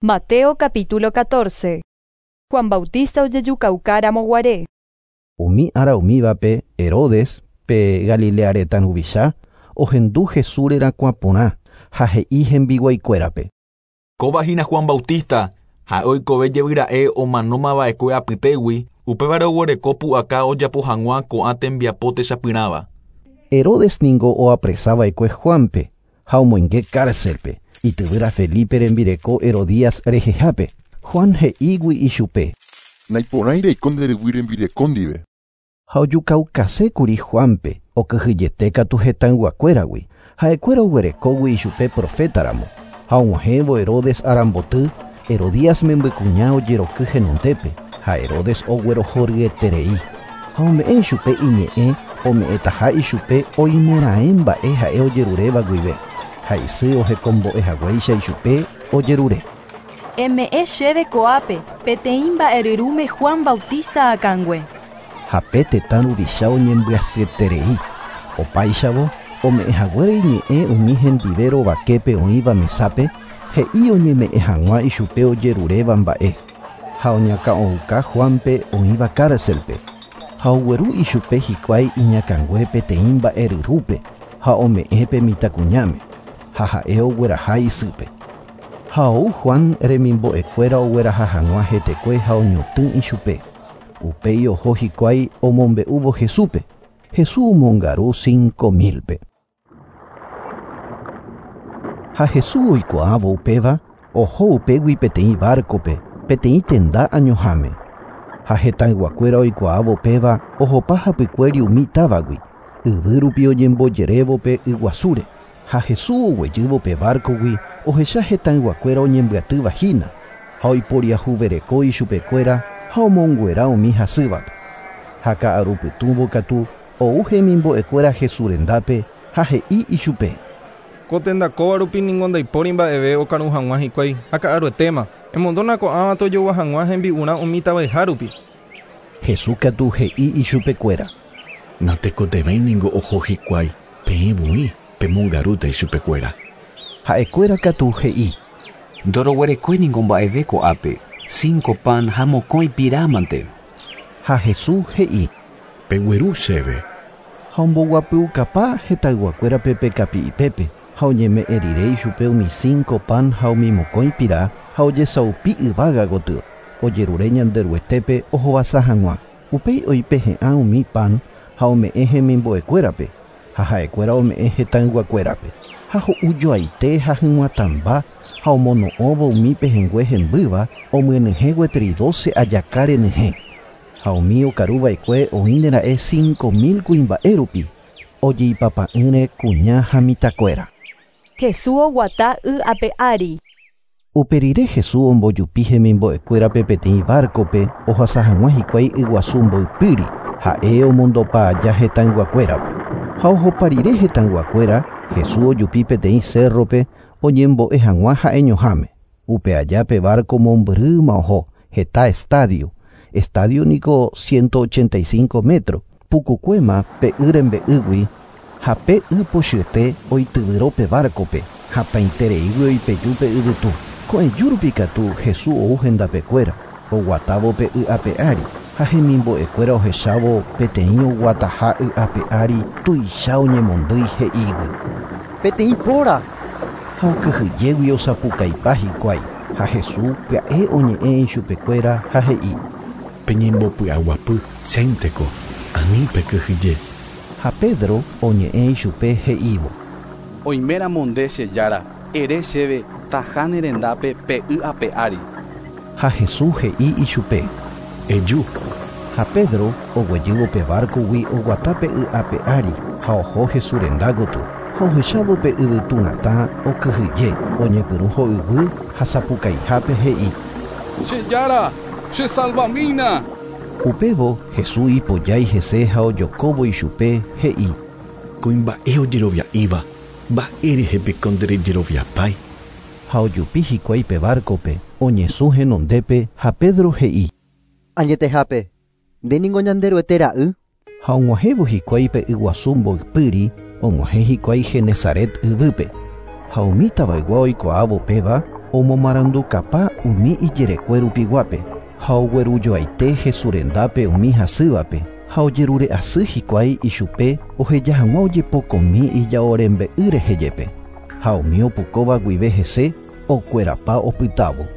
Mateo capítulo 14. Juan Bautista ojejukauka guare. Umi ára umívape Herodes pe Galilea retã ruvicha ohendu Jesús rerakuã porã ha he'i hembiguaikuérape. Kóva hína Juan Bautista, ha'e oikove jevy omanómava'ekue apytégui, upévare oguereko pu'aka ojapo hag̃ua ko'ã tembiapo techapyrãva. Herodes ningo oapresava'ekue Juanpe ha omoinge cárcelpe ityvýra Felipe rembireko Herodías rehehápe. Juan he'ígui ichupe. Naiporãi reiko nde ryvy rembireko ndive. Ha ojukaukasékuri Juanpe okyhyjete katu hetãyguakuéragui. Ha'ekuéra oguerekógui ichupe profétaramo. Ha og̃uahẽvo Herodes aramboty, Herodías membykuña ojeroky henondépe ha Herodes oguerohoryeterei. Ha ome'ẽ ichupe iñe'ẽ ome'ẽtaha ichupe oimeraẽ mba'e ha'e ojeruréva guive. Ha isy ohekombo'ehaguéicha ichupe ojerure. Eme'ẽ chéve ko'ápe peteĩ mba'eryrũme Juan Bautista akãngue. Ha pe tetã ruvicha oñembyasyeterei. Opáichavo ome'ẽhaguére iñe'ẽ umi hendive rovaképe oĩva mesápe he'i oñeme'ẽ hag̃ua ichupe ojeruréva mba'e. Ha oñakã'ouka Juanpe oĩva cárcelpe. Ha ogueru ichupe hikuái iñakãngue peteĩ mba'eryrúpe ha ome'ẽ pe mitãkuñáme ha ha'e ogueraha isýpe. Ha ou Juan remimbo'ekuéra ogueraha hag̃ua hetekue ha oñotỹ ichupe. Upéi oho hikuái omombe'úvo Jesúspe. Jesús omongaru 5000-pe. Ha Jesús oikuaávo upéva oho upégui peteĩ barcope, peteĩ tenda añoháme. Ha hetãyguakuéra oikuaávo upéva ohopa hapykuéri umi távagui, yvy rupi oñembojerévo pe yguasúre. Ha Jesús oguejývo pe barcogui ohecha hetãyguakuéra oñembyatýva hína ha oiporiahuvereko ichupekuéra ha omonguera umi hasývape. Ha ka'arupytũvo katu ou hemimbo'ekuéra Jesús rendápe ha he'i ichupe. Ko tenda kóva rupi ningo ndaipóri mba'eve okaru hag̃ua hikuái ha ka'aruetéma. Emondóna ko'ãva tojogua hag̃ua hembi'urã umi tavaiha rupi. Jesús katu he'i ichupekuéra. Natekotevẽi ningo oho hikuái peẽ voi pemongarúta ichupekuéra. Ha'ekuéra katu he'i. Ndoroguerekói ningo mba'eve ko'ápe, 5 pan ha mokõi pirámante. Ha Jesús he'i. Pegueru chéve. Ha omboguapyukapa hetãyguakuérape pe kapi'ipépe ha oñeme'ẽ rire ichupe umi 5 pan ha umi mokõi pira ha ojesaupi yvága gotyo. Ojerure Ñanderuetépe ohovasa hag̃ua. Upéi oipehe'ã umi pan ha ome'ẽ hemimbo'ekuérape ha ha'ekuéra ome'ẽ hetãyguakuérape. Ha ho'ujoaite ha hyg̃uatãmba ha omono'õvo umi pehẽngue hembýva omyenyhẽ gueteri 12 ajaka renyhẽ. Ha umi okaruva'ekue oĩnera'e 5000 kuimba'e rupi ojeipapa'ỹre kuña ha mitãkuéra. Jesús oguata y ape ári. Uperire Jesús ombojupi hemimbo'ekuérape peteĩ barcope ohasa hag̃ua hikuái yguasu mboypýri ha'e omondopa aja hetãyguakuérape. Ha ohopa rire hetãyguakuéra Jesús ojupi peteĩ cerrope oñembo'e hag̃ua ha'eñoháme. Upe aja pe barco mombyrýma oho heta estadio. Estadio niko 185 metro. Pukukuéma pe y rembe'ýgui ha pe y pochyete oityvyro pe barcope hatãitereígui oipeju pe yvytu. Ko'ẽju rupi katu Jesús ou hendapekuéra oguatávo pe y ape ári ha hemimbo'ekuéra ohechávo peteĩ oguataha y ape ári tuicha oñemondýi he'ígui. Peteĩ póra. Ha okyhyjégui osapukaipa hikuái ha Jesús pya'e oñe'ẽ ichupekuéra ha he'i. Peñembopy'aguapy chénteko ani pekyhyje. Ha Pedro oñe'ẽ ichupe he'ívo. Oiméramo nde che jára, ere chéve taha ne rendápe pe y ape ári. Ha Jesús he'i ichupe. Eju. Ha Pedro oguejývo pe barcogui oguata pe y ape ári ha oho Jesús renda gotyo. Ha ohechávo pe yvytu natã okyhyje oñepyrũ ho'yguy ha sapukaihápe he'i. Che jára, che salvamína. Upévo Jesús ipojái hese ha ojokóvo ichupe he'i. Kuimba'e ojerovia'íva mba'érehe piko nderejeroviapái. Ha ojupi hikuái pe barcope oñesũ henondépe ha Pedro he'i. Añetehápe, nde ningo Ñanderuete ra'y. Ha og̃uahẽvo hikuái pe yguasu mboypýri og̃uahẽ hikuái Genesaret yvýpe. Ha umi tavaygua oikuaávo péva Omomarandukapa umi ijerekue rupiguápe ha oguerujoaite Jesús rendápe umi hasývape ha ojerure'asy hikuái ichupe oheja hag̃ua ojepokomi ijao rembe'y rehe jepe ha umi opukóva guive hese okuerapa opytávo.